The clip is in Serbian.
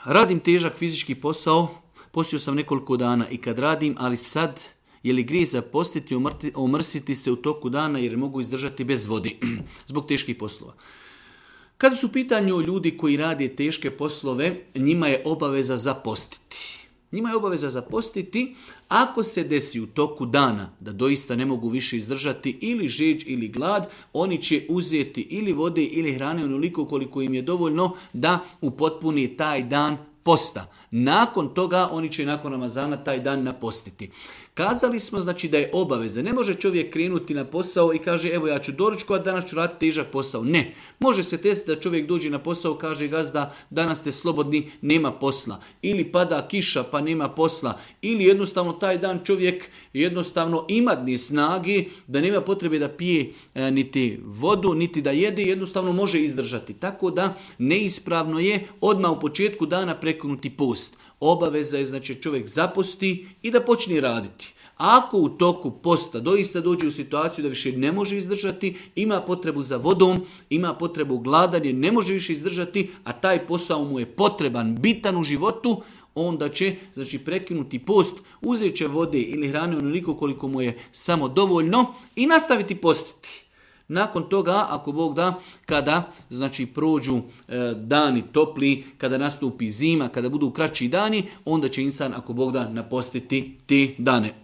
radim težak fizički posao, postio sam nekoliko dana i kad radim, ali sad je li grijeh zapostiti, omrsiti se u toku dana jer mogu izdržati bez vode zbog teških poslova. Kada su u pitanju ljudi koji rade teške poslove, njima je obaveza zapostiti. Njima je obaveza zapostiti ako se desi u toku dana da doista ne mogu više izdržati ili žeđ ili glad, oni će uzeti ili vode ili hrane onoliko koliko im je dovoljno da upotpuni taj dan posta. Nakon toga oni će nakon Ramazana taj dan napostiti. Kazali smo znači da je obaveza. Ne može čovjek krenuti na posao i kaže evo ja ću doručkovati, danas ću raditi težak posao. Ne. Može se desiti da čovjek dođe na posao, kaže gazda danas ste slobodni, nema posla. Ili pada kiša pa nema posla. Ili jednostavno taj dan čovjek jednostavno ima ni snage da nema potrebe da pije niti vodu, niti da jede, jednostavno može izdržati. Tako da neispravno je odmah u početku dana prekinuti post. Obaveza je znači čovjek zaposti i da počne raditi. Ako u toku posta doista dođe u situaciju da više ne može izdržati, ima potrebu za vodom, ima potrebu gladanje, ne može više izdržati, a taj posao mu je potreban, bitan u životu, onda će znači prekinuti post, uzet će vode ili hrane onoliko koliko mu je samo dovoljno i nastaviti postiti. Nakon toga, ako Bog da, kada znači prođu dani topli, kada nastupi zima, kada budu kraći dani, onda će insan, ako Bog da, napostiti te dane.